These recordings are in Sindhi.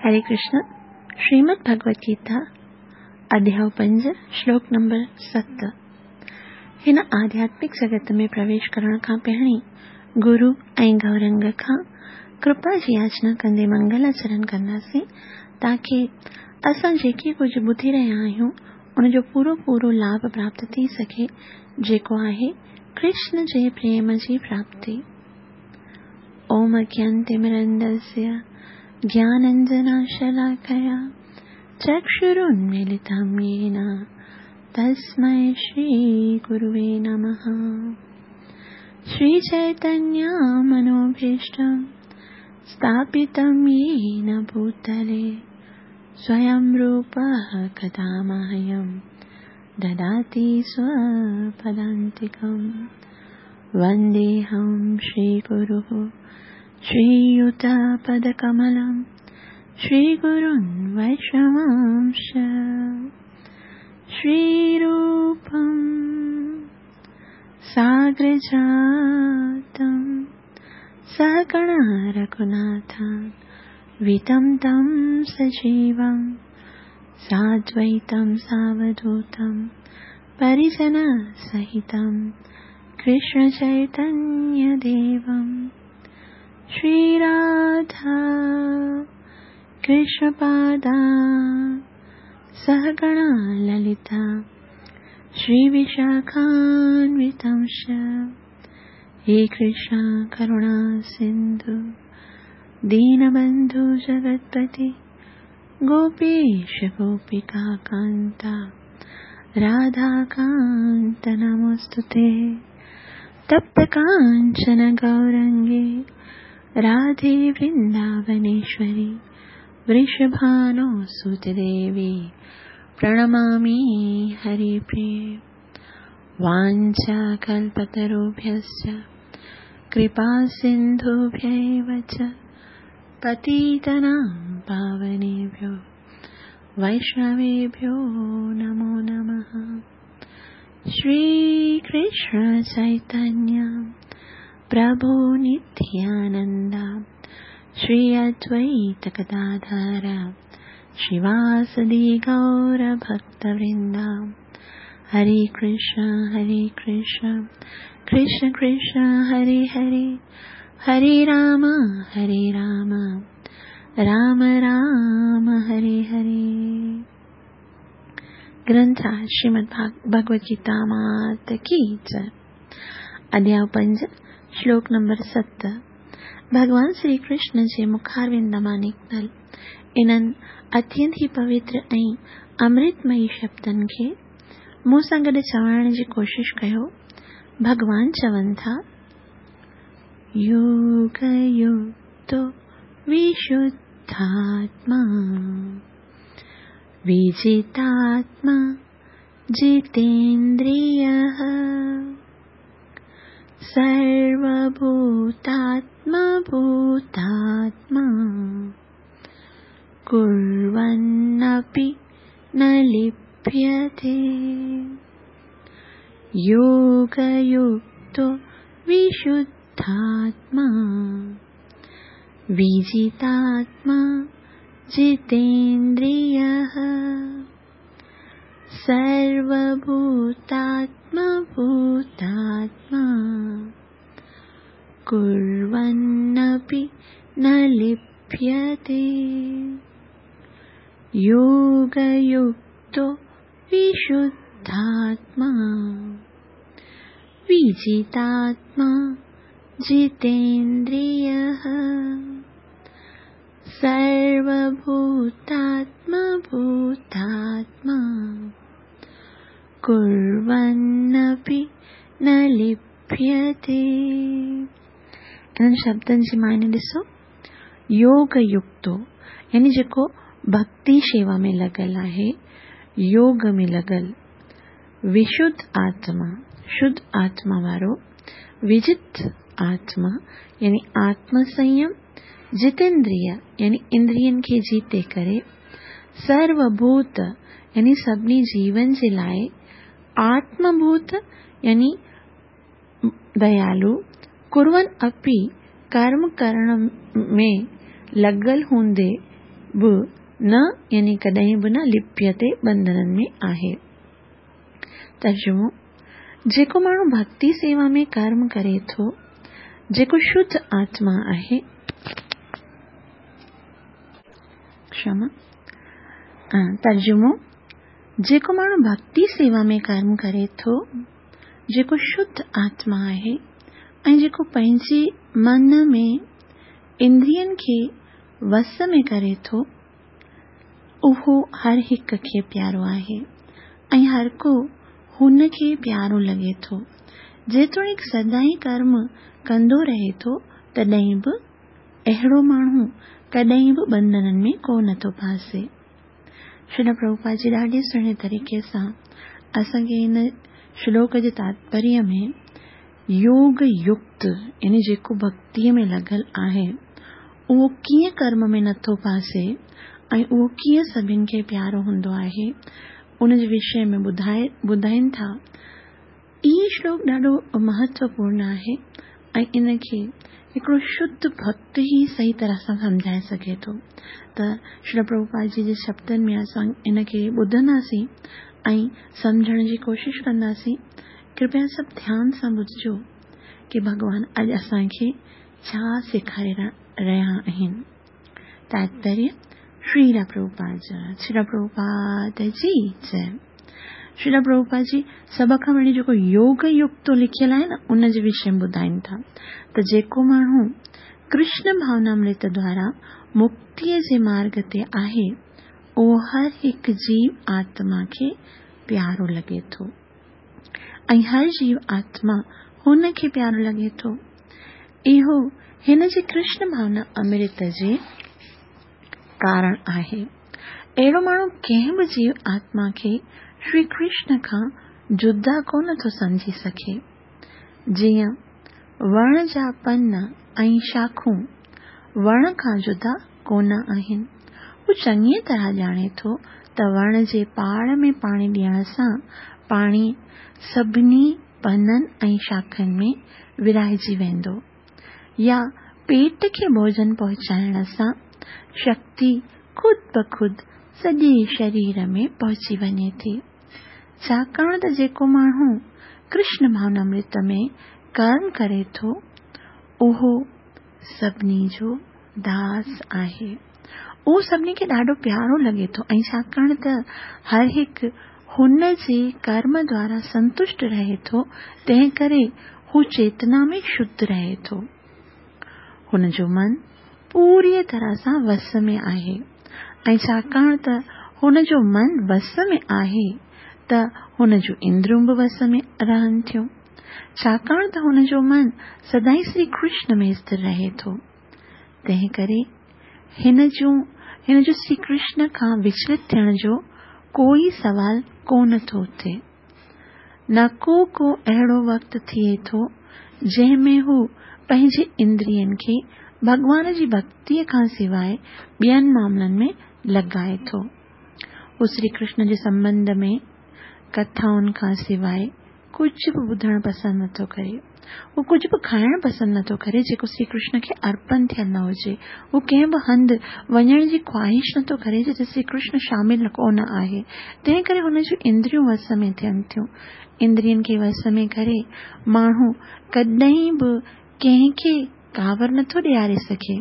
هري ڪرشن، شريمد ڀڳوت گيتا، اڌياء پنج، شلوڪ نمبر 7. هن آڌياتمڪ جڳت ۾ پرويش ڪرڻ کان پهرين گرو ۽ گورنگ کان ڪرپا جي ياچنا ڪندي منگل آچرڻ ڪنداسين تاڪه اسان جيڪي ڪجهه ٻڌي رهيا آهيون ان جو پورو پورو لاڀ پراپت ٿي سگهي جيڪو آهي ڪرشن جي پريم جي پراپتي. اوم اگيانتمرندسيه گيانانجناشلاڪيا چڪشرونميلتم يين تسمي شري گروي نمه. شري چيتنيه منوڀيشٽم اسٿاپتم يين ڀوتلي سويم روپه ڪدا مهيم دداتي سوپدانتڪم. ونديهم شري گروه شرييتپدڪملم شري گرون ويشنوانش شري روپم ساگرجاتم سهگڻ رघوناٿم ويتم تم سجيوم سادويتم ساوڌوتم پريجن سهتم ڪرشن چيتنيه ديوم. شري راڌا ڪرشن پادا سهگڻ للتا شري وشاکانوتمش. هي ڪرشن ڪروڻا سنڌو دينبنڌو جگتپتي گوپيش گوپيڪا ڪانتا راڌا ڪانت نموستتي. تپت ڪانچن گورنگي راڌي ورنداونيشوري ورشڀانو سوت ديوي پرڻمامي هري پريه. وانڇا ڪلپتروڀيشچ ڪرپا سنڌوڀيو چ پتيتنام پاونيڀيو ويشنويڀيو نمو نمه. شري ڪرشن چيتنيه پرڀو نتيانند شري ادويت گداڌر شريواسدي گور ڀڪت ورند. هري ڪرشن هري ڪرشن ڪرشن ڪرشن هري هري، هري رام هري رام رام رام هري هري. گرنٿ شريمد ڀڳوت گيتا مات ڪي جئ. اڌياء پنج، شلوڪ نمبر 7. ڀڳوان شري ڪرشن جي مکاروند مان نڪتل انهن اتينت ئي پوتر ۽ امرتمئي شبدن کي مون سان گڏ چوائڻ جي ڪوشش ڪيو. ڀڳوان چون ٿا، يوگ يڪتو وشڌاتما وجيتاتما جتيندريه سروڀوتاتما ڀوتاتما ڪرونپي نه لپيتي. يوگ يڪتو وشڌاتما وجيتاتما جتيندريه سروڀوتاتما ڀوتاتما ڪرونپي نه لپيتي. يوگ يڪتو وشڌاتما وجيتاتما جتيندريه سروڀوتاتما ڀوتاتما ڪرونپي نه لپيتي. انهن شبدن جي معني ڏسو. يوگ يڪتو يعني جيڪو ڀڳتي شيوا ۾ لڳل آهي، يوگ ۾ لڳل، وشڌ آتما شڌ آتما وارو، وجت آتما يعني آتم سنيم، جتيندريه يعني اندرين کي جيتي ڪري، سروڀوت يعني سڀني جيون جي لاء، آتمڀوت يعني ديالو، ڪرون اپي ڪرم ڪرڻ ۾ لڳل هوندي به نه يعني ڪڏهن به نه لپيتي ٻنڌنن ۾ آهي. ترجمو، جيڪو ماڻهو ڀڳتي سيوا ۾ ڪرم ڪري ٿو، جيڪو شڌ آتما آهي، ڪشما، ترجمو، جيڪو ماڻهو ڀڳتي سيوا ۾ ڪرم ڪري ٿو، جيڪو شڌ آتما آهي ۽ جيڪو پنهنجي من ۾ اندرين کي وس ۾ ڪري ٿو، اهو هر هڪ کي پيارو آهي ۽ هر ڪو هن کي پيارو لڳي ٿو. جيتوڻيڪ سدائين ڪرم ڪندو رهي ٿو، تڏهن به اهڙو ماڻهو ڪڏهن به ٻنڌنن ۾ ڪو نه ٿو ڦاسي. شريل پرڀوپاد جي ڏاڍي سهڻي طريقي سان اسان کي هن شلوڪ جي تاتپريه ۾ يوگ يڪت يعني جيڪو ڀڳتيء ۾ لڳل آهي، اهو ڪيئن ڪرم ۾ نٿو ڦاسي ۽ اهو ڪيئن سڀن کي پيارو هوندو آهي، ان جي وشيه ۾ ٻڌائي ٻڌائين ٿا. هي شلوڪ ڏاڍو مهتوپورن آهي ۽ ان کي هڪڙو شڌ ڀڳت ئي صحيح طرح سان سمجهائي سگهي ٿو ته شريل پرڀوپاد جي جي شبدن ۾ اسان ان کي ٻڌنداسين ۽ سمجهڻ جي ڪوشش ڪنداسين. ڪرپيا سڀ ڌيان سان ٻڌجو ڪي ڀڳوان اڄ اسان کي ڇا سيکاري رهيا آهن. تاتپريه، شريلا پرڀوپاد جا شريلا پرڀوپاد جي جئ. شريلا پرڀوپاد جي سڀ کان پهرين جيڪو يوگ يڪتو لکيل آهي نه ان جي وشي ۾ ٻڌائين ٿا ته جيڪو ماڻهو ڪرشن ڀاونامرت دوارا مڪتيء جي مارگ تي آهي اهو هر هڪ جيو آتما کي پيارو لڳي ٿو. ۽ هر جيو آتما هن کي پيارو لڳي ٿو. اهو هن جي ڪرشن ڀاونا امرت جي ڪارڻ آهي. اهڙو ماڻهو ڪنهن به جيو آتما کي شري ڪرشن کان جدا ڪونه ٿو سمجهي سگهي. جيئن وڻ جا پن ۽ شاخون وڻ کان جدا ڪونه آهن. هو چڱيء طرح ڄاڻي ٿو ته وڻ جي پاڙ ۾ پاڻي ڏيڻ سان پاڻي سڀني پنن ۽ شاخن ۾ ورهائجي ويندو يا پيٽ کي ڀوڄن پهچائڻ سان شڪتي خود بخود سڄي شرير ۾ پهچي وڃي ٿي. ڇاڪاڻ ته جيڪو ماڻهو ڪرشن ڀاونامرت ۾ ڪرم ڪري ٿو، اهو سڀني جو داس آهي. اهو سڀني کي ڏاڍو پيارو لڳي ٿو ۽ ڇاڪاڻ ته هر هڪ هن جي ڪرم دوارا سنتشٽ رهي ٿو، تنهن ڪري هو چيتنا ۾ شڌ رهي ٿو. هن جو من پوريء طرح سان وس ۾ آهي ۽ ڇاڪاڻ ته هن جو من وس ۾ آهي ته هن جون اندريون به وس ۾ رهن ٿيون. ڇاڪاڻ ته هن جو من سدائين سري ڪرشن ۾ اسٿر رهي ٿو، تنهن ڪري هن جون هن جو سري ڪرشن کان وچلت ٿيڻ جو ڪو ئي سوال ڪونه ٿو اٿي. نه ڪو ڪو اهڙو وقت ٿئي ٿو، جنهن ۾ هو پنهنجي اندرين کي ڀڳوان جي ڀڳتيء کان سواء ٻين معاملن ۾ لڳائي ٿو. هو سري ڪرشن جي سنٻنڌ ۾ ڪٿائن کان سواء ڪجهه به ٻڌڻ پسند نه ٿو ڪري. هو ڪجهه به کائڻ پسند نه ٿو ڪري جيڪو سري ڪرشن کي ارپن ٿيل نه هجي. هو ڪنهن به هنڌ وڃڻ جي خواهش نه ٿو ڪري جتي سري ڪرشن شامل ڪو نه آهي. تنهن ڪري هن جون اندريون وس ۾ ٿين ٿيون. اندرين کي وس ۾ ڪري ماڻهو ڪڏهن به ڪنهن کي ڪاوڙ نه ٿو ڏياري سگهي.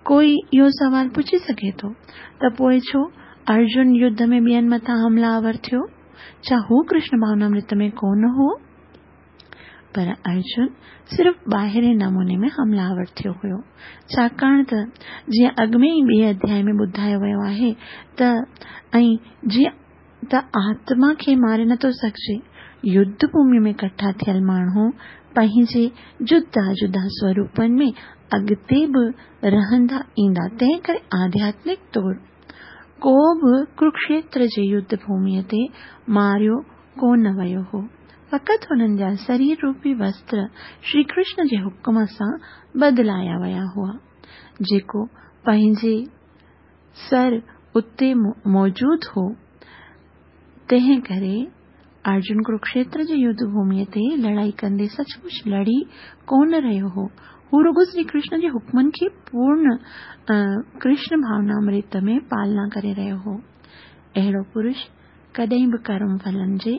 ڪوئي اهو سوال پڇي سگهي ٿو ته پوء ڇو ارجن يڌ ۾ ٻين مٿان حمله آور ٿيو؟ ڇا هو ڪرشن ڀاونامرت ۾ ڪونه هو؟ پر ارجن صرف ٻاهرين نموني ۾ حمله آور ٿيو هيو، ڇاڪاڻ ته جيئن اڳ ۾ ئي ٻئي اڌيائي ۾ ٻڌايو ويو آهي ته ۽ جيئن ته آتما کي ماري نٿو سگهجي. يڌ ڀوميء ۾ ڪٺا ٿيل ماڻهو پنهنجي جدا جدا سوروپن ۾ اڳتي به رهندا ايندا، تنهنڪري آڌياتمڪ طور ڪو به ڪروڪشيتر جي يڌ ڀوميء تي ماريو ڪونه ويو هو. فقط هنن جا سرير روپي وستر شري ڪرشن جي حڪم سان بدلايا ويا هئا، جيڪو پنهنجي سر اتي موجود هو، تنهن ڪري ارجن ڪروڪشيتر جي يڌ ڀوميء تي لڙائي ڪندي سچ پچ لڙي ڪونه رهيو هو. هو رڳو شري ڪرشن جي حڪمن کي پورڻ ڪرشن ڀاونامرت ۾ پالنا ڪري رهيو هو. اهڙو پرش ڪڏهن به ڪرم ڦلن جي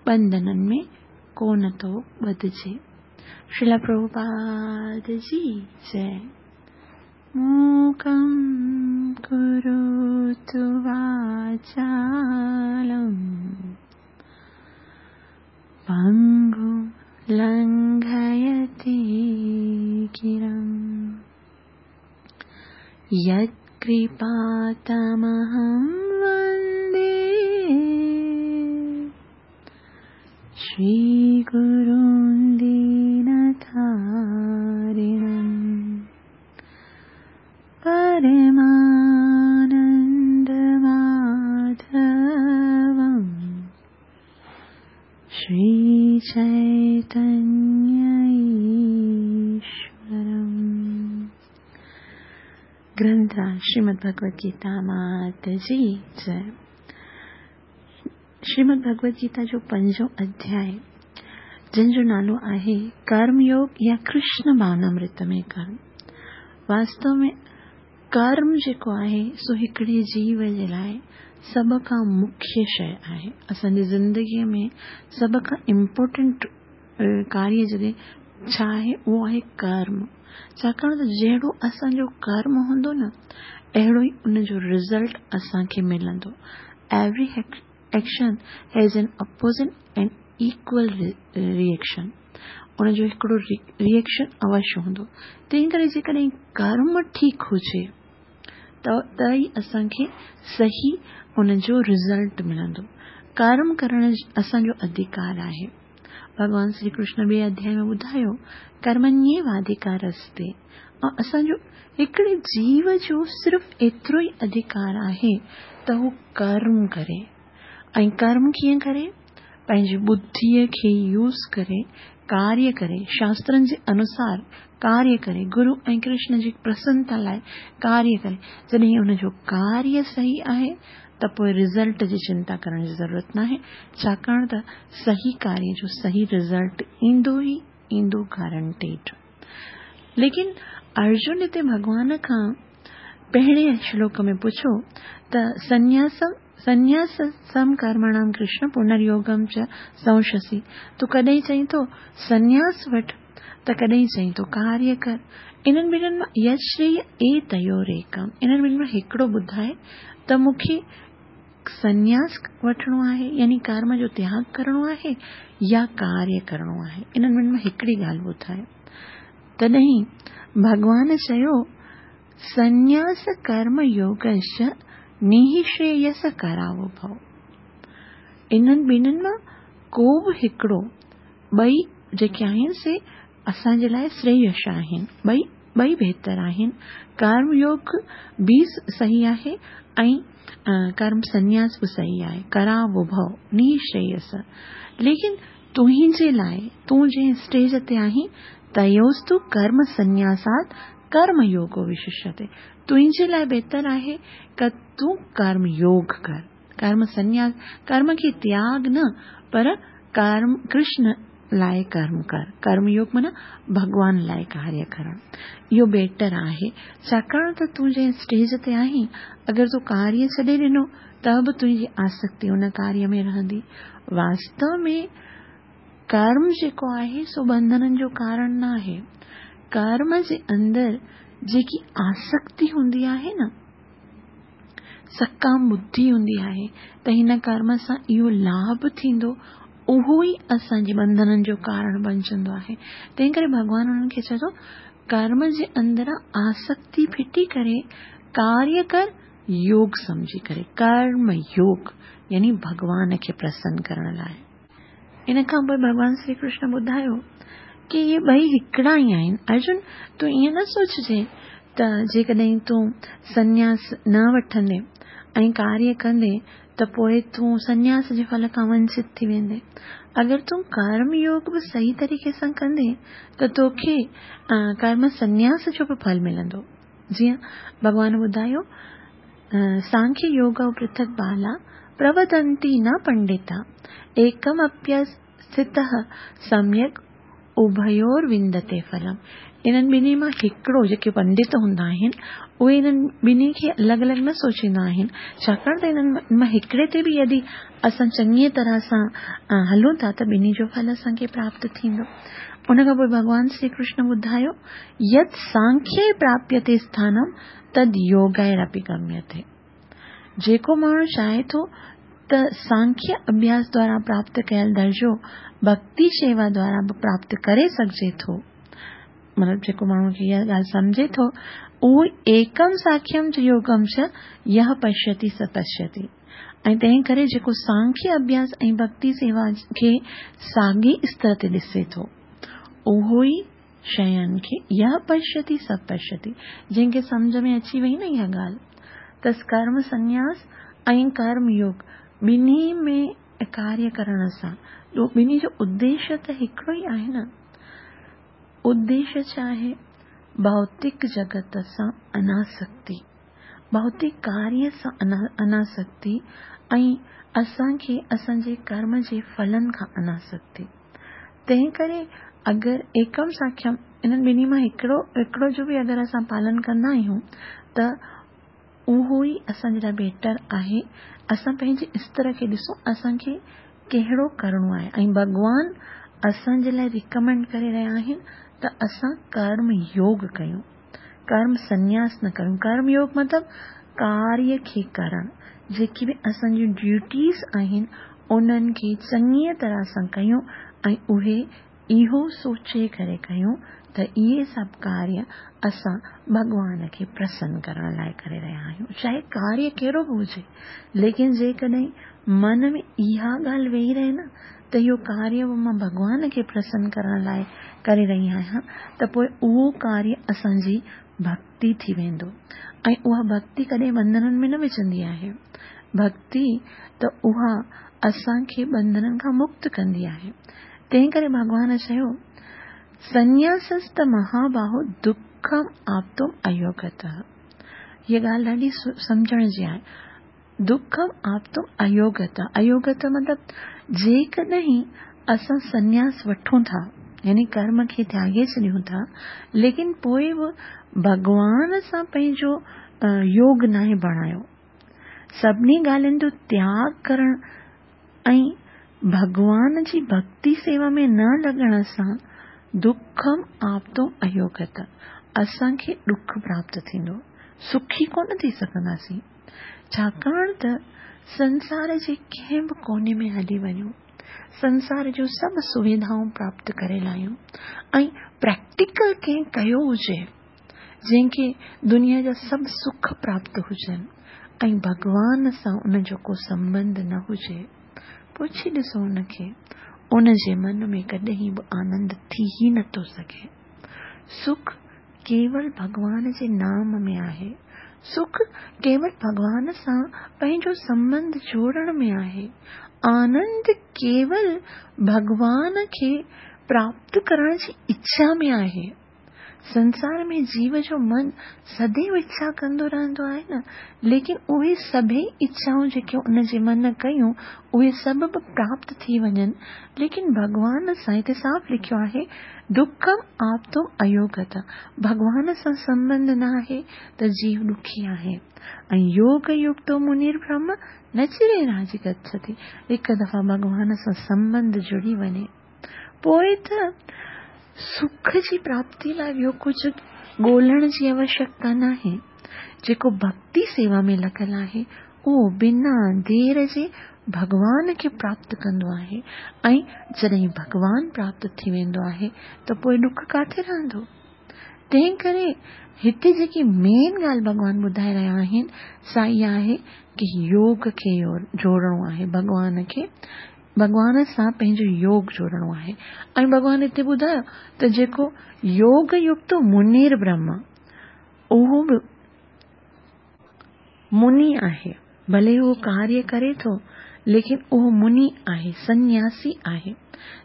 ٻنڌنن ۾ ڪونه ٿو ٻڌجي. شريلا پرڀوپاد جي جئي. موڪم ڪروتو واچالم پنگم لنگهيتي گرم يتڪرپا تمهم وندي شري گرون دينتارڻم پرمانند ماڌوم شري چيتنيه ايشورم. گرنٿراج شريمد ڀڳوت گيتا مات جي جئي. شريمد ڀڳوت گيتا جو پنجون اڌياء جنهن جو نالو آهي ڪرم يوگ يا ڪرشن ڀاونامرت ۾ ڪرم. واستو ۾ ڪرم جيڪو آهي سو هڪڙي جيو جي لاء سڀ کان مکيه شيء آهي. اسان جي زندگيء ۾ سڀ کان امپورٽنٽ ڪاريه جڏهن ڇا آهي اهو آهي ڪرم. ڇاڪاڻ ته جهڙو اسان جو ڪرم هوندو نه اهڙو ئي ان جو رزلٽ اسان کي ملندو. Every action has an opposite and equal reaction. ان جو هڪڙو ريئيڪشن اوشيه هوندو. تنهن ڪري جيڪڏهن ڪرم ٺيڪ هجي ته ئي اسان کي صحيح ان جو رزلٽ ملندو. ڪرم ڪرڻ اسان جو اڌيڪار آهي. ڀڳوان شري ڪرشن ٻئي اڌياء ۾ ٻڌايو ڪرمنييواڌيڪارستي ۽ اسان جو هڪڙي جيو جو صرف ايترو ئي اڌيڪار آهي ته هو ڪرم ڪري ۽ ڪرم ڪيئن ڪري؟ پنهنجي ٻڌيء کي يوز ڪري ڪاريه ڪري، شاسترن جي انوسار ڪاريه ڪري، گرو ۽ ڪرشن جي پرسنتا لاء ڪاريه ڪري. جڏهن ان جو ڪاريه صحيح آهي ته پوء رزلٽ جي چنتا ڪرڻ جي ضرورت ناهي، ڇاڪاڻ ته صحيح ڪاريه جو صحيح رزلٽ ايندو ئي ايندو گارنٽيڊ. ليڪن ارجن هتي ڀڳوان کان پهرين شلوڪ ۾ پڇيو ته سنياسم سنياسم ڪرمڻام ڪرشن پنريوگم چ سنشسي تون ڪڏهن چئين ٿو سنياس وٺ ته ڪڏهن چئين ٿو ڪاريه ڪر انهن ٻنهن مان يشريه ايتيوريڪم انهن ٻنهن مان هڪڙو ٻڌاء ته مون کي سنياس وٺڻو آهي يعني ڪرم جو تياڳ ڪرڻو آهي يا ڪاريه ڪرڻو آهي انهن ٻنهن مان هڪڙي ڳالهه ٻڌاء تڏهن ڀڳوان چيو سنياس ڪرم يوگش نهشريس ڪراوڀو انهن ٻنهن مان ڪو به هڪڙو ٻئي جيڪي آهن سي اسان جي لاء شريش آهن ٻئي ٻئي بهتر آهن ڪرم يوگ به صحيح آهي ۽ ڪرم سنياس به صحيح آهي ڪراوڀو نهشريس ليڪن تنهنجي لاء تون جنهن اسٽيج تي آهين تيوستو ڪرم سنياسات ڪرم يوگو وششيتي تنهنجي لاء بهتر آهي ته تون ڪرم يوگ ڪر. ڪرم سنياس، ڪرم کي تياڳ نه پر ڪرم ڪرشن لاء ڪرم ڪر. ڪرم يوگ معنيٰ ڀڳوان لاء ڪاريه ڪرڻ. اهو بيٽر آهي. ڇاڪاڻ ته تون جنهن اسٽيج تي آهين، اگر تو ڪاريه ڇڏي ڏنو ته به تنهنجي آسڪتي ان ڪاريه ۾ رهندي. واستو ۾ ڪرم جيڪو آهي سو ٻنڌنن جو ڪارڻ ناهي. ڪرم جي اندر جيڪي آسڪتي هوندي آهي نه، سڪام ٻڌي هوندي آهي ته هن ڪرم سان اهو لاڀ ٿيندو، اهو ئي اسان جي ٻنڌنن جو ڪارڻ بنجندو آهي. تنهن ڪري ڀڳوان انهن کي چئي ٿو، ڪرم جي اندران آسڪتي ڦٽي ڪري ڪاريه ڪر يوگ سمجهي ڪري، ڪرم يوگ يعني ڀڳوان کي پرسن ڪرڻ لاء. ان کان پوء ڀڳوان شري ڪرشن ٻڌايو ڪي اهي ٻئي هڪڙا ئي آهن. ارجن تون ائين نه سوچجين ته جيڪڏهن تون سنياس نه وٺندين ۽ ڪاريه ڪندين ته پوء تون سنياس جي ڦل کان ونچت ٿي ويندين. اگر تون ڪرم يوگ به صحيح طريقي سان ڪندين ته توکي ڪرم سنياس جو به ڦل ملندو. جيئن ڀڳوان ٻڌايو سانکيه يوگه پرٿڪ بالا پروڌنتي نه پنڊتا ايڪم اپيسٿته سميڪ اڀيور وندتي ڦلم. انهن ٻنهي مان هڪڙو جيڪي پنڊت هوندا آهن، اهي انهن ٻنهي کي الڳ الڳ نه سوچيندا آهن، ڇاڪاڻ ته انهن مان هڪڙي تي به يدي اسان چڱيء طرح سان هلون ٿا ته ٻنهي جو ڦل اسان کي پراپت ٿيندو. ان کان پوء ڀڳوان شري ڪرشن ٻڌايو، يت سانکيه پراپيتي اسٿانم تد يوگائرپي گميتي. جيڪو ماڻهو چاهي ٿو ته سانکيه اڀياس دوارا پراپت ڪيل درجو ڀڳتي شيوا دوارا به پراپت ڪري سگهجي ٿو، مطلب جيڪو ماڻهو کي اها ڳالهه سمجهي ٿو، اهو ايڪم سانکيم چ يوگم چ يهه پشيتي س پشيتي ۽ تنهن ڪري جيڪو سانکيه اڀياس ۽ ڀڳتي سيوا کي ساڳئي استر تي ڏسي ٿو، اهو ئي شين کي يهه پشيتي س پشيتي، جنهن کي سمجهه ۾ اچي وئي نه اها ڳالهه ته ڪرم سنياس ۽ ڪرم يوگ ٻنهي ۾ ڪاريه ڪرڻ سان ٻنهي جو اديشيه ته هڪڙو ئي آهي نه. اديشيه ڇا آهي؟ ڀوتڪ جڳت سان اناسڪتي، ڀوتڪ ڪاريه سان اناسڪتي ۽ اسان کي اسان جي ڪرم جي ڦلن کان اناسڪتي. تنهن ڪري اگر ايڪم سانکيم انهن ٻنهي مان هڪڙو هڪڙو جو به اگر اسان پالن ڪندا آهيون ته اهو ئي اسان جي لاء بيٽر آهي. اسان پنهنجي استر کي ڏسون اسان کي ڪهڙو ڪرڻو آهي ۽ ڀڳوان اسان جي لاء ريڪمينڊ ڪري رهيا آهن ته اسان ڪرم يوگ ڪيون، ڪرم سنياس نه ڪيون. ڪرم يوگ مطلب ڪاريه کي ڪرڻ، جيڪي به اسان جون ڊيوٽيز آهن انهن کي چڱيء طرح سان ڪيون ۽ اهي اهو سوچي ڪري ڪيون ته اهي سڀ ڪاريه اسان ڀڳوان کي پرسن ڪرڻ لاء ڪري رهيا آهيون. چاهي ڪاريه ڪهڙو به هجي، ليڪن جيڪڏهن من ۾ اها ڳالهه ويهي رهي نه ته اهو ڪاريه به مان ڀڳوان کي پرسن ڪرڻ لاء ڪري رهي آهيان ته پوء اهو ڪاريه اسان جي ڀڳتي ٿي ويندو ۽ اها ڀڳتي ڪڏهن ٻنڌنن ۾ نه وجهندي آهي. ڀڳتي ته اها اسان کي ٻنڌنن کان مڪت ڪندي آهي. تنهن ڪري ڀڳوان چيو، سنياسست مهاباهو دکم آپتم ايوگتः. هيء ڳالهه ڏاڍي سمجهڻ جي آهي. دکم آپتم ايوگتः، ايوگتः مطلب جيڪڏهن اسان سنياس وٺون ٿا يعني ڪرم کي تياڳي ڇڏيون ٿا، ليڪن پوء به ڀڳوان سان پنهنجو يوگ ناهي بڻايو. سڀني ڳالهين جو تياڳ ڪرڻ ۽ ڀڳوان جي ڀڳتي سيوا ۾ نه لڳڻ سان دکم آپتم ايوگت، اسان کي ڏک پراپت ٿيندو، سکي ڪونه ٿي سگهنداسين. ڇاڪاڻ ته سنسار جي ڪنهن به ڪوني ۾ هلي وڃون، سنسار جون سڀ سويڌائون پراپت ڪري لاهيون ۽ پريڪٽيڪل ڪنهن ڪيو هجي، جنهن کي دنيا جا سڀ سک پراپت هجن ۽ ڀڳوان سان ان جو ڪو سنٻنڌ نه هجي، پڇي ڏسو ان کي، ان جي من ۾ ڪڏهن به آنند ٿي ئي نه ٿو سگهي. سک ڪيول ڀڳوان جي نام ۾ آهي. سک ڪيول ڀڳوان سان پنهنجو سنٻنڌ جوڙڻ ۾ آهي. آنند ڪيول ڀڳوان کي پراپت ڪرڻ جي اڇا ۾ آهي. سنسار ۾ جيو جو من سديو اڇا ڪندو رهندو آهي نه، ليڪن اهي سڀئي اڇائون جيڪي ان جي من ڪيون، اهي سڀ به پراپت ٿي وڃن، ليڪن ڀڳوان سان، هتي صاف لکيو آهي، دکم آپتم ايوگت، ڀڳوان سان سنٻنڌ نه آهي ته جيو ڏکي آهي ۽ يوگ يڪتو منير برهم نه چري راج گڇتي، هڪ دفعا ڀڳوان سان سنٻنڌ جڙي وڃي. پوء ته سک جي پراپتي لاء ٻيو ڪجهه ڳولڻ جي آوشيڪتا ناهي. جيڪو ڀڳتي سيوا ۾ لڳل آهي، اهو بنا دير جي ڀڳوان کي پراپت ڪندو آهي ۽ جڏهن ڀڳوان پراپت ٿي ويندو آهي ته پوء ڏک ڪاٿي رهندو؟ تنهن ڪري هتي جيڪي مين ڳالهه ڀڳوان ٻڌائي رهيا آهن، سا اها آهي ڪي يوگ کي جوڙڻو آهي، ڀڳوان کي ڀڳوان سان پنهنجو يوگ جوڙڻو آهي ۽ ڀڳوان هتي ٻڌايو ته جيڪو يوگ يڪت منير برهم اهو به مني آهي ڀلي اهو ڪاريه ڪري ٿو ليڪن اهو مني آهي سنياسي آهي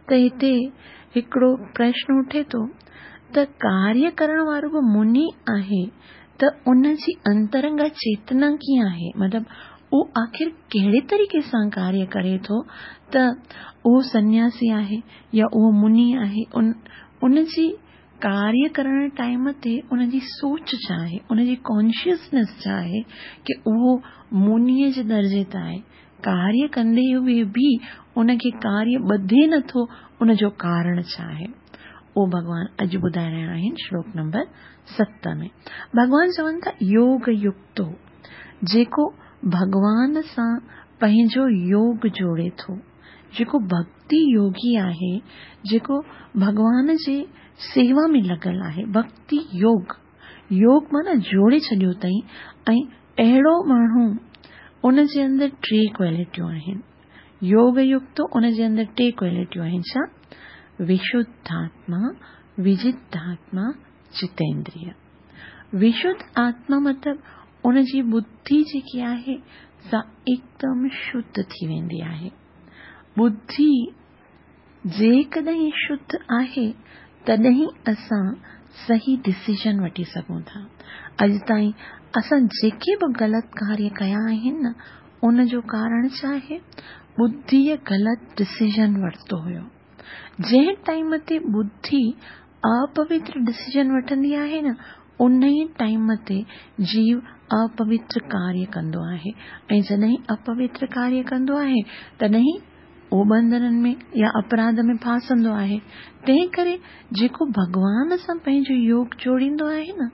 ته هتي هڪڙو پرشن اٺي ٿو ته ڪاريه ڪرڻ وارو به مني آهي ته ان جي انترنگا چيتنا ڪيئن آهي مطلب اهو آخر ڪهڙي طريقي سان ڪاريه ڪري ٿو ته اهو سنياسي آهي يا اهو مني آهي ان ان جي ڪاريه ڪرڻ ٽائيم تي ان جي سوچ ڇا آهي، ان جي ڪانشسنيس ڇا آهي ڪي اهو منيء جي درجي تي آهي. ڪاريه ڪندي هوئي به ان کي ڪاريه ٻڌي نه ٿو، ان جو ڪارڻ ڇا آهي؟ اهو ڀڳوان اڄ ٻڌائي رهيا آهن شلوڪ نمبر 7 ۾. ڀڳوان چون ٿا يوگ يڪتو، جيڪو ڀڳوان سان پنهنجو يوگ جوڙي ٿو، جيڪو ڀڳتي يوگي آهي، جيڪو ڀڳوان جي سيوا ۾ لڳل آهي، ڀڳتي يوگ، يوگ معنيٰ جوڙي ڇڏيو اٿئي ۽ اهڙو ماڻهو ان جي اندر ٽي ڪوالٽيون آهن. يوگ يڪتو ان جي اندر ٽي ڪوالٽيون آهن ڇا؟ وشڌ آتما، وجت آتما، جتيندريه. وشڌ آتما مطلب ان جي ٻڌي جيڪي آهي سا هڪدم شڌ ٿي ويندي آهي. ٻڌي جيڪڏهن شڌ آهي تڏهن اسان صحيح ڊسيزن وٺي سگهون ٿا. اڄ تائين اسان جيڪي به غلط ڪاريه ڪيا آهن نه ان جو ڪارڻ ڇا آهي؟ ٻڌيء غلط ڊسيزن ورتو هيو. جنهن ٽائيم تي ٻڌي اپوتر ڊسيزن وٺندي آهي نه انهي ٽائيم تي جيو اپوتر ڪاريه ڪندو آهي ۽ جڏهن اپوتر ڪاريه ڪندو آهي تڏهن اهو ٻنڌنن ۾ يا اپراڌ ۾ ڦاسندو آهي. تنهن ڪري جيڪو ڀڳوان سان پنهنجو يوگ جوڙيندو آهي نه،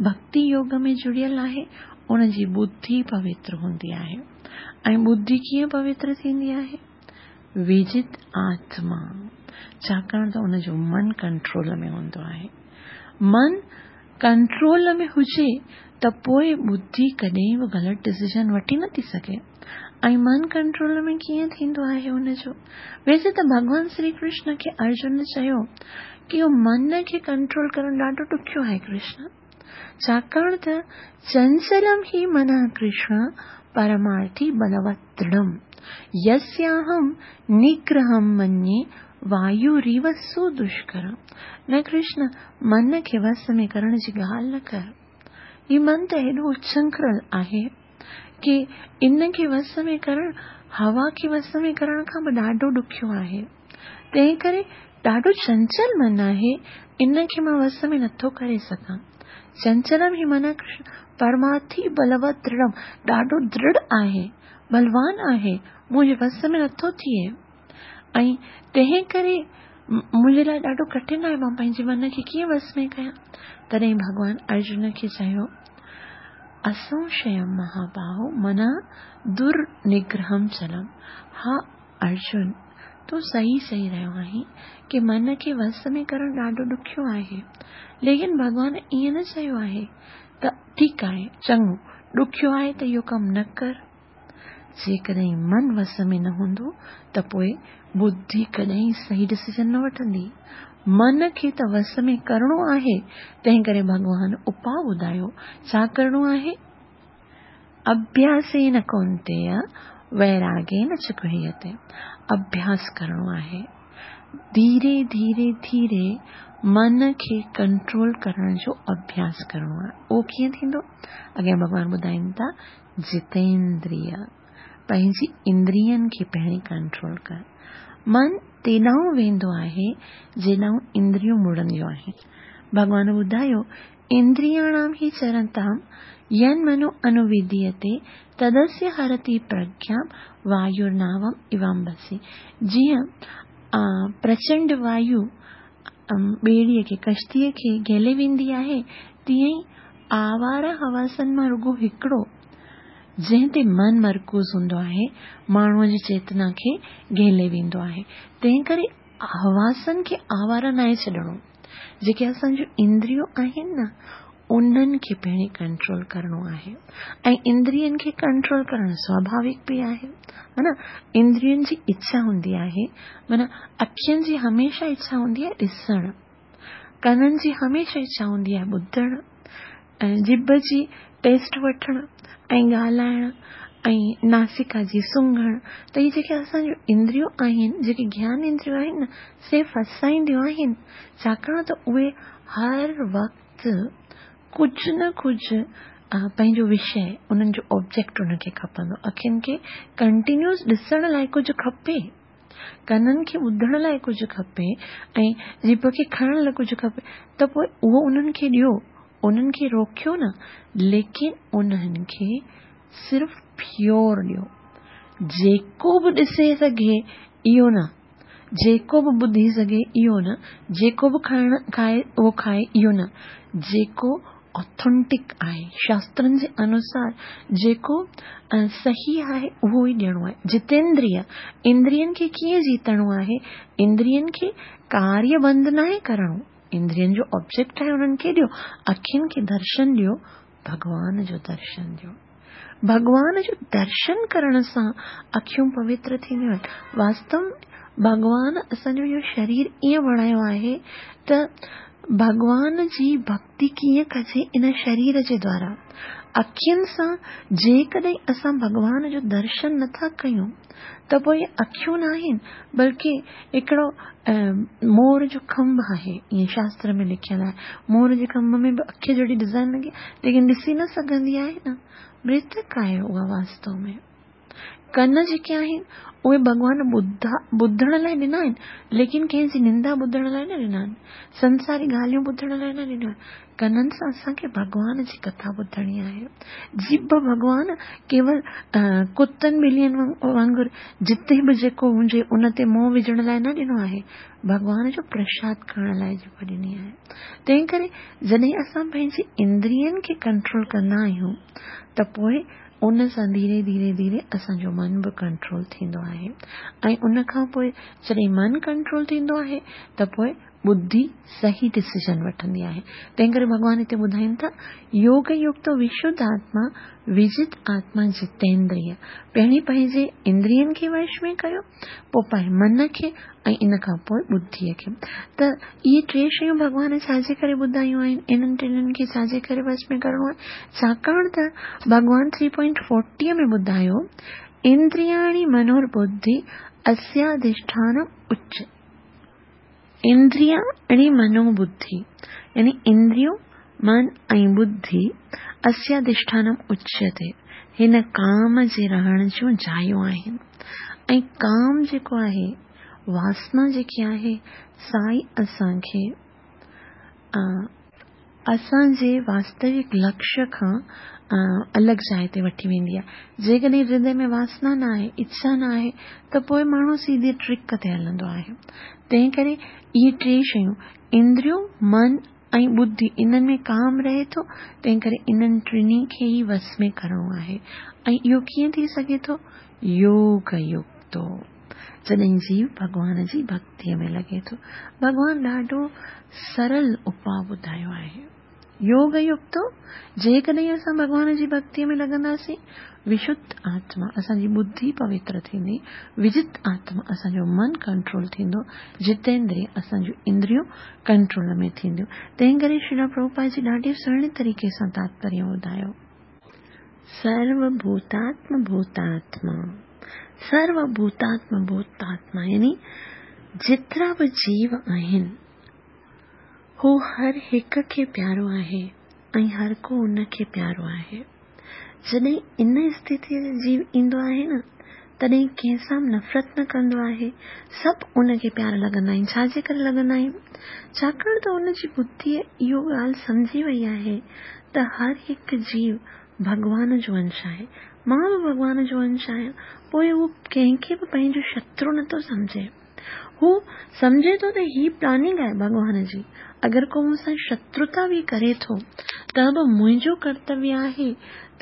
ڀڳتي يوگ ۾ جڙيل آهي، ان جي ٻڌي پوتر هوندي آهي. ۽ ٻڌي ڪيئن پوتر ٿيندي آهي؟ وجت آتما، ڇاڪاڻ ته ان جو من ڪنٽرول ۾ هوندو آهي. من ڪنٽرول ۾ هجي ته پوء ٻڌي ڪڏهن به غلط ڊسيزن وٺي نٿي سگهي. ۽ من ڪنٽرول ۾ ڪيئن ٿيندو آهي ان جو؟ ويسي ته ڀڳوان شري ڪرشن کي ارجن چيو ڪي اهو من کي ڪنٽرول ڪرڻ ڏاڍو ڏکيو آهي ڪرشن، ڇاڪاڻ ته چنچلم هي منه ڪرشن پرمارٿي بلوت درڍم يسياهم نگرهم مڃي وايوريو سودشڪرم. نه ڪرشن، من کي وس ۾ ڪرڻ جي ڳالهه نه ڪر. هي من ته هيڏو اڇنکرل آهي ڪي ان کي وس ۾ ڪرڻ هوا کي وس ۾ ڪرڻ کان به ڏاڍو ڏکيو آهي. تنهن ڪري ڏاڍو چنچل من آهي، ان کي مان وس ۾ نٿو ڪري سگهان. چنچلم هي من ڪرشن پرماٿي بلوت درڍم، ڏاڍو درڍ آهي، بلوان آهي، منهنجي وس ۾ نٿو ٿئي ۽ تنهن ڪري منهنجي لاء ڏاڍو ڪٺن آهي، مان پنهنجي من کي ڪيئن وس ۾ ڪيان؟ تڏهن ڀڳوان ارجن کي چيو، اسنشيم مهاباهو منه درنگرهم چلم. ها ارجن! تون صحيح چئي رهيو آهين ڪي من کي وس ۾ ڪرڻ ڏاڍو ڏکيو آهي. ليڪن ڀڳوان ائين نه چيو آهي ته ٺيڪ آهي، چڱو، ڏکيو آهي ته اهو ڪم نه ڪر. جيڪڏهن من وس ۾ نه هوندو ته پوء ٻڌي ڪڏهن صحيح ڊسيزن نه وٺندي. من کي ته وس ۾ ڪرڻو آهي، تنهن ڪري ڀڳوان اپاء ٻڌايو، ڇا ڪرڻو آهي؟ اڀياسين ڪونتيه ويراگين چ گهيتي، اڀياس ڪرڻو آهي. ڌيري ڌيري ڌيري من کي ڪنٽرول ڪرڻ جو اڀياس ڪرڻو آهي. اهو ڪيئن ٿيندو؟ اڳيان ڀڳوان ٻڌائين ٿا، جتيندريه، پنهنجي اندرين کي پهرين ڪنٽرول ڪر. من تيڏانهن ويندو آهي جيڏانهن اندريون مڙنديون آهن. ڀڳوان ٻڌايو، اندرياڻام هي چرنتام ين منو انووديتي تدسيه هرتي پرگيام وايورناوم ايوامبسي. جيئن پرچنڊ وايو ٻيڙيء کي، ڪشتيء کي، گهلي ويندي آهي، تيئن ئي آواره حواسن مان رڳو هڪڙو، جنهن تي من مرڪوز هوندو آهي، ماڻهوء جي چيتنا کي گهلي ويندو آهي. تنهنڪري حواسن کي آواره ناهي ڇڏڻو. جيڪي اسان جون اندريون آهن نه، انهن کي پهرين ڪنٽرول ڪرڻو آهي ۽ اندرين کي ڪنٽرول ڪرڻ سواڀاوڪ به آهي. ها نه؟ اندرين جي اڇا هوندي آهي، معنيٰ اکين جي هميشه اڇا هوندي آهي ڏسڻ. ڪنن جي هميشه اڇا هوندي آهي ٻڌڻ ۽ ڄڀ جي ٽيسٽ وٺڻ ۽ ڳالهائڻ ۽ ناسڪا جي سونگهڻ ته هي جيڪي اسان جون اندريون آهن جيڪي گيان اندريون آهن نه سي ڦسائينديون آهن ڇاڪاڻ ته اهي هر وقت ڪجهه نه ڪجهه پنهنجو وشيه انهن جو آبجيڪٽ انهن کي کپندو اکين کي ڪنٽينيوس ڏسڻ لاء ڪجهه کپي. ڪنن کي ٻڌڻ لاء ڪجهه کپي ۽ ڄڀ کي کائڻ لاء ڪجهه کپي ته پوء اهو انهن کي ڏيو، انهن کي روڪيو نه، ليڪن انهن کي صرف پيور ڏيو. جيڪو به ڏسي سگهي اهو نه، جيڪو به ٻڌي سگهي اهو نه، جيڪو به کائڻ کائي اهو کائي اهو نه، جيڪو آٿنٽڪ آهي، شاسترن جي انوسار جيڪو صحيح آهي اهو ئي ڏيڻو آهي. جتيندريه، اندرين کي ڪيئن جيتڻو آهي؟ اندرين کي ڪاريه بند ناهي ڪرڻو، اندرين جو آبجيڪٽ آهي انهن کي ڏيو، اکين کي درشن ڏيو، ڀڳوان جو درشن ڏيو. ڀڳوان جو درشن ڪرڻ سان اکيون پوتر ٿينديون آهن. واستو ۾ ڀڳوان اسان جو اهو شرير ائين بڻايو آهي ته ڀڳوان جي ڀڳتي ڪيئن ڪجي ان شرير جي دوارا. اکين سان جيڪڏهن اسان ڀڳوان جو درشن نٿا ڪيون ته پوء اهي اکيون ناهن بلڪه هڪڙو مور جو کنڀ آهي ائين شاستر ۾ لکيل آهي. مور جي کنڀ ۾ به اک جهڙي ڊزائن لڳي ليڪن ڏسي نه سگهندي آهي نه. مرتڪ آهي اها واستو ۾. ڪن جيڪي آهن اهي ڀڳوان ٻڌڻ لاء ڏنا آهن ليڪن ڪنهن جي نندا ٻڌڻ لاء نه ڏنا آهن. سنساري ڳالهيون ٻڌڻ لاء نه ڏنيون آهن. ڪنن سان اسان کي ڀڳوان جي ڪٿا ٻڌڻي آهي. ڄڀ ڀڳوان ڪيول ڪتن ٻلين وانگر جتي به جيڪو هجي ان تي منهن وجهڻ لاء نه ڏنو آهي. ڀڳوان جو پرشاد کائڻ لاء ڄڀ ڏني آهي. تنهن ڪري جڏهن اسان پنهنجي اندرين کي ڪنٽرول ڪندا آهيون ته پوء ان سان ڌيري ڌيري ڌيري اسان جو من به ڪنٽرول ٿيندو آهي ۽ ان کان پوء جڏهن من ڪنٽرول ٿيندو آهي ته پوء ٻڌي صحيح ڊسيزن وٺندي آهي. تنهن ڪري ڀڳوان هتي ٻڌائين ٿا، يوگ يڪت وشڌ آتما وجت آتما جتيندريه. پهرين پنهنجي اندرين کي وش ۾ ڪيو، پوء پنهنجي من کي ۽ ان کان پوء ٻڌيء کي. ته اهي ٽي شيون ڀڳوان ڇا جي ڪري ٻڌايون آهن؟ انهن ٽنهن کي ڇا جي ڪري وش ۾ ڪرڻو آهي؟ ڇاڪاڻ ته ڀڳوان ٿري پوائنٽ فورٽيء ۾ ٻڌايو، اندرياڻي منورٻڌي اسياڌشٺانم اچ. اندرياڻي منو ٻڌي يعني اندريون، من ۽ ٻڌي اسياڌشٺانم اچيتي هن ڪام جي رهڻ جون جايون آهن ۽ ڪام جيڪو آهي واسنا جيڪي آهي سا ئي اسان کي اسان جي واستوڪ لڪشيه کان الڳ جاء تي وٺي ويندي آهي. جيڪڏهن هردي ۾ واسنا نه آهي، اڇا نه آهي ته پوء ماڻهو سيڌي ٽريڪ تي هلندو آهي. تنهن ڪري اهي ٽي شيون اندريون، من ۽ ٻڌي انهن ۾ ڪام رهي ٿو، تنهن ڪري انهن ٽنهي کي ئي وس ۾ ڪرڻو آهي ۽ اهو ڪيئن ٿي سگهي ٿو؟ يوگ يڪتو. جڏهن جيو ڀڳوان جي ڀڳتيء ۾ لڳي ٿو. ڀڳوان ڏاڍو سرل اپاء ٻڌايو آهي. يوگ يڪتو، جيڪڏهن اسان ڀڳوان جي ڀڳتيء ۾ لڳنداسين، وشڌ آتما، اسان جي ٻڌي پوتر ٿيندي، وجت آتما، اسان جو من ڪنٽرول ٿيندو، جتيندري، اسان جون اندريون ڪنٽرول ۾ ٿينديون. تنهن ڪري شريلا پرڀوپاد جي ڏاڍي سهڻي طريقي سان تاتپريه ٻڌايو. سرو ڀوتاتم ڀوتاتما، سرو ڀوتاتم ڀوتاتما يعني جيترا به جيو آهن هو هر هڪ کي پيارو آهي ۽ هر ڪو ان کي پيارو آهي. جڏهن ان اسٿتيء تي جيو ايندو آهي نه تڏهن ڪنهن سان به نفرت نه ڪندو آهي، سڀ ان کي پيارا لڳندا آهن، ڇا جي ڪري لڳندا آهن؟ ڇاڪاڻ ته ان جي ٻڌيء اهو ڳالهه سمجهي وئي آهي ته هر هڪ جيو ڀڳوان جو انش آهي، مان به ڀڳوان جو انش آهيان، پوء هو ڪنهن کي به پنهنجو شترو نه ٿو سمجهي. هو سمجهي ٿو ته هي پلاننگ آهي ڀڳوان جي، اگر ڪو مون سان شتروتا به ڪري ٿو ته به منهنجو ڪرتويه آهي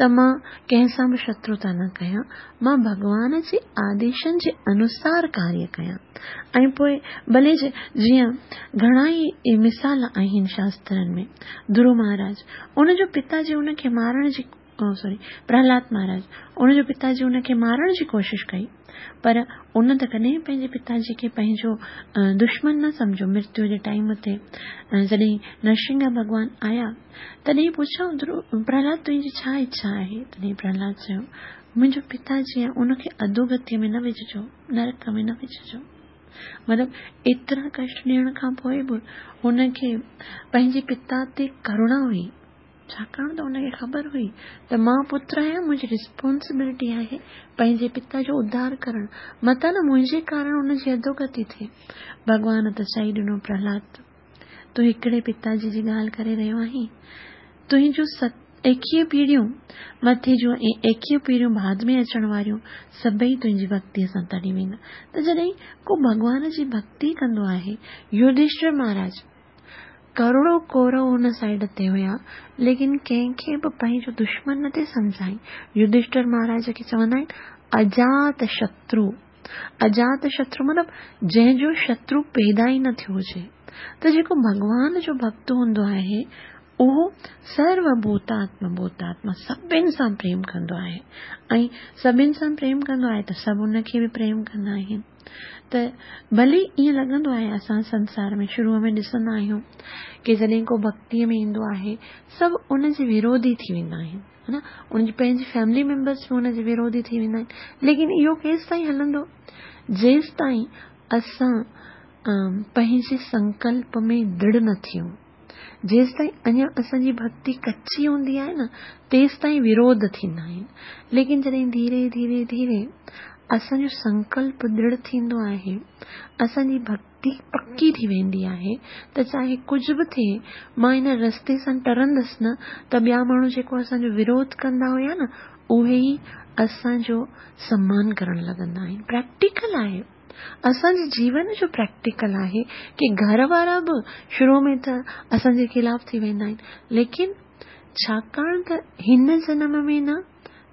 ته مان ڪنهن سان به شتروتا نه ڪيان، مان ڀڳوان جي آديشن جي انوسار ڪاريه ڪيان ۽ پوء ڀلي جيئن گهڻا ئي مثال آهن شاسترن ۾ ڌرو مهاراج ان جو پتا جي ان کي مارڻ جي سوري پرهلاد مهاراج ان جو پتا جي ان کي مارڻ جي ڪوشش ڪئي پر ان ته ڪڏهن پنهنجي پتا جي کي پنهنجو دشمن نه سمجهيو مرتيو جي ٽائيم تي جڏهن نرسنگها ڀڳوان آيا تڏهن پڇيائون پرهلاد تنهنجي ڇا اڇا آهي تڏهن پرهلاد چيو منهنجو پتا جي آهي ان کي اڌوگتيء ۾ نه وجهجو، نرڪ ۾ نه وجهجو. مطلب ايترا ڪشٽ ڏيڻ کان پوء به هن کي پنهنجي پتا تي ڪرڻا هئي. ڇاڪاڻ ته ان کي خبر هئي ته مان پٽ آهيان، منهنجي ريسپانسبلٽي آهي پنهنجي پتا جو اڌار ڪرڻ، متان نه منهنجي ڪارڻ ان جي اڌوگتي ٿئي. ڀڳوان ته چئي ڏنو پرهلاد، تون هڪڙي پتا جي جي ڳالهه ڪري رهيو آهين، تنهنجون 21 پيڙهيون مٿي جون ۽ 21 پيڙهيون بعد ۾ اچڻ واريون سڀئي تنهنجي ڀڳتيء سان تري ويندا. ته جڏهن ڪو ڀڳوان جي ڀڳتي ڪندو آهي، يڌشٺر مهاراج ڪروڙو ڪورو ان سائيڊ تي هيا، ليڪن ڪنهن کي به پنهنجو دشمن نه ٿي سمجهائين. يڌشٺر مهاراج کي چوندا آهن اجات شترو. اجات شترو مطلب جنهن جو شترو پيدا ئي نه ٿيو هجي. ته جيڪو ڀڳوان جو ڀڳت هوندو آهي اهو سرو ڀوتاتما ڀوتاتما سڀن سان پريم ڪندو آهي ۽ سڀن سان پريم ڪندو آهي ته سڀ ان کي به پريم ڪندا آهن. ته ڀلي ائين لڳندو آهي اسان سنسار ۾ شروع ۾ ڏسندا آهيون ڪي جڏهن ڪو ڀڳتيء ۾ ايندو آهي سڀ ان جي وروڌي ٿي ويندا آهن ها نه ان جي پنهنجي فيملي ميمبرس به ان جي وروڌي ٿي ويندا آهن ليڪن اهو ڪيستائين هلندو جيستائين اسان پنهنجي سنڪلپ ۾ درڙ نه ٿيون جيستائين اڃا اسان جي ڀڳتي ڪچي هوندي آهي نه تيستائين وروڌ ٿيندا آهن ليڪن جڏهن ڌيري ڌيري ڌيري اسان جو سنڪلپ درڙ ٿيندو آهي اسان جي ڀڳتي پڪي ٿي ويندي آهي ته چاهي ڪجهه به ٿئي مان ان رستي سان ٽرندس نه ته ٻيا ماڻهو جيڪو اسان جو وروڌ ڪندا هيا نه اهي ئي اسان جو سمان ڪرڻ لڳندا آهن پريڪٽيڪل آهي اسان جي جيون جو پريڪٽيڪل آهي ڪي گهر وارا به شروع ۾ ته اسان جي خلاف ٿي ويندا آهن ليڪن ڇاڪاڻ ته هن جنم ۾ نه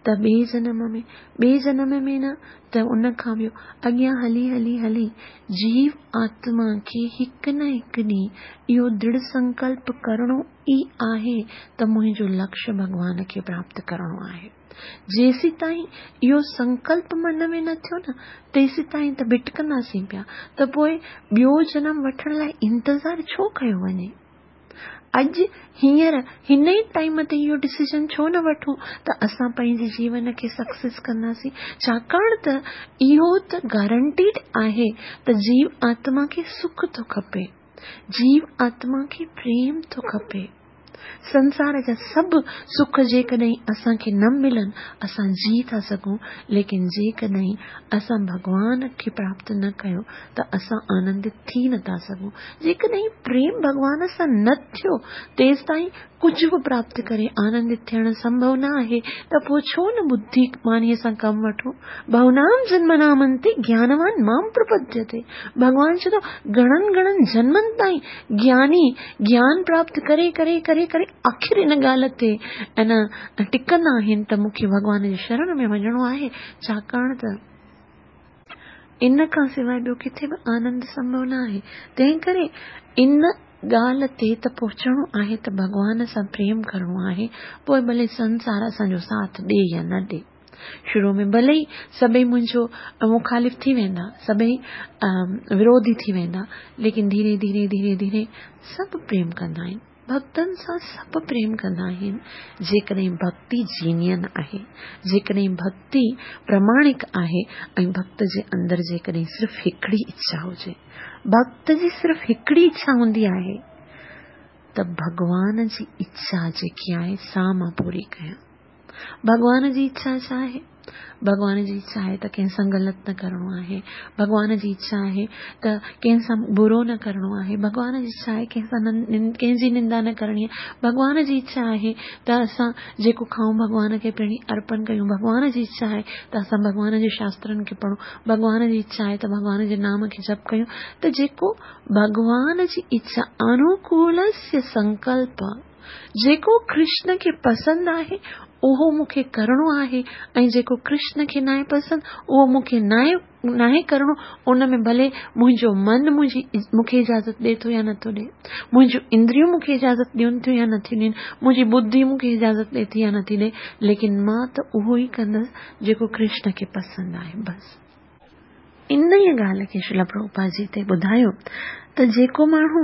ته ٻئي جنم ۾ ٻئي جنم ۾ نه ته ان کان ٻيو اڳيان هلي هلي هلي جيو آتما کي هڪ نه هڪ ڏينهن اهو درڙ سنڪلپ ڪرڻو ئي آهي ته منهنجو لڪش ڀڳوان کي پراپت ڪرڻو آهي. جيسيتائين اهو سنڪلپ من ۾ نه ٿيو نه، تيسيتائين ته ڀٽڪنداسين پيا، ته پوء ٻيو جنم وٺڻ لاء انتظار ڇو ڪيو وڃي؟ اڄ، هينئر، هن ئي ٽائيم تي اهو ڊسيزن ڇو نه وٺون ته اسان پنهنجي جيون کي سڪسيس ڪنداسين؟ ڇاڪاڻ ته اهو ته گارنٽيڊ آهي ته جيو آتما کي سک ٿو کپي، جيو آتما کي پريم ٿو کپي. سنسار جا سڀ سک جيڪڏهن اسان کي نه ملن، اسان جي ٿا سگهون، ليڪن جيڪڏهن اسان ڀڳوان کي پراپت نه ڪيو ته اسان آنندت ٿي نه ٿا سگهون. جيڪڏهن پريم ڀڳوان سان نه ٿيو تيستائين ڪجهه به پراپت ڪري آنندت ٿيڻ سنڀو نه آهي ته پوء ڇو نه ٻڌيمانيء سان ڪم وٺون. بهونام جنمنام انتي گيانوان مام پرپديتي. ڀڳوان چئي ٿو گهڻن گهڻن جنمن تائين گياني گيان پراپت ڪري ڪري ڪري ڪري آخر ان ڳالهه تي ان ٽڪندا آهن ته مون کي ڀڳوان جي شرڻ ۾ وڃڻو آهي ڇاڪاڻ ته ان کان سواء ٻيو ڪٿي به آنند سنڀو نه آهي تنهن ڪري ان ڳالهه تي ته پهچڻو آهي ته ڀڳوان سان پريم ڪرڻو آهي پوء ڀلي سنسار اسان جو ساٿ ڏي يا نه ڏي. شروع ۾ ڀلي ئي سڀئي منهنجو مخالف ٿي ويندا، سڀئي وروڌي ٿي ويندا، ليڪن ڌيري ڌيري ڌيري ڌيري سڀ پريم ڪندا آهن. ڀڳتن سان سڀ پريم ڪندا آهن، جيڪڏهن ڀڳتي جينين آهي، جيڪڏهن ڀڳتي پرماڻڪ آهي ۽ ڀڳت جي اندر جيڪڏهن صرف هڪڙي اڇا هجي. ڀڳت جي صرف هڪڙي اڇا هوندي آهي ته ڀڳوان جي اڇا جيڪي آهي سا مان پوري ڪيان. ڀڳوان جي اڇا ڇا آهي؟ ڀڳوان جي اڇا آهي ته ڪنهن سان غلط نه ڪرڻو آهي. ڀڳوان جي اڇا آهي ته ڪنهن سان برو نه ڪرڻو آهي. ڀڳوان جي اڇا آهي ڪنهن سان ڪنهن جي نندا نه ڪرڻي آهي. ڀڳوان جي اڇا آهي ته اسان جيڪو کائون ڀڳوان کي پهرين ارپڻ ڪيون. ڀڳوان جي اڇا آهي ته اسان ڀڳوان جي شاسترن کي پڙهون. ڀڳوان جي اڇا آهي ته ڀڳوان جي نام کي جپ ڪيون ته جيڪو ڀڳوان جي اڇا انوڪولسيه سنڪلپ جيڪو ڪرشن کي پسند آهي اهو مون کي ڪرڻو آهي ۽ جيڪو ڪرشن کي ناهي پسند اهو مون کي ناهي ناهي ڪرڻو ان ۾ ڀلي منهنجو من منهنجي مون کي اجازت ڏي ٿو يا نٿو ڏي منهنجون اندريون مون کي اجازت ڏين ٿيون يا نٿيون ڏين منهنجي ٻڌي مون کي اجازت ڏي ٿي يا نٿي ڏي ليڪن مان ته اهو ئي ڪندس جيڪو ڪرشن کي پسند آهي بس. انهيء ڳالهه کي شريل پرڀوپاد جي هتي ٻڌايو ته جيڪو ماڻهو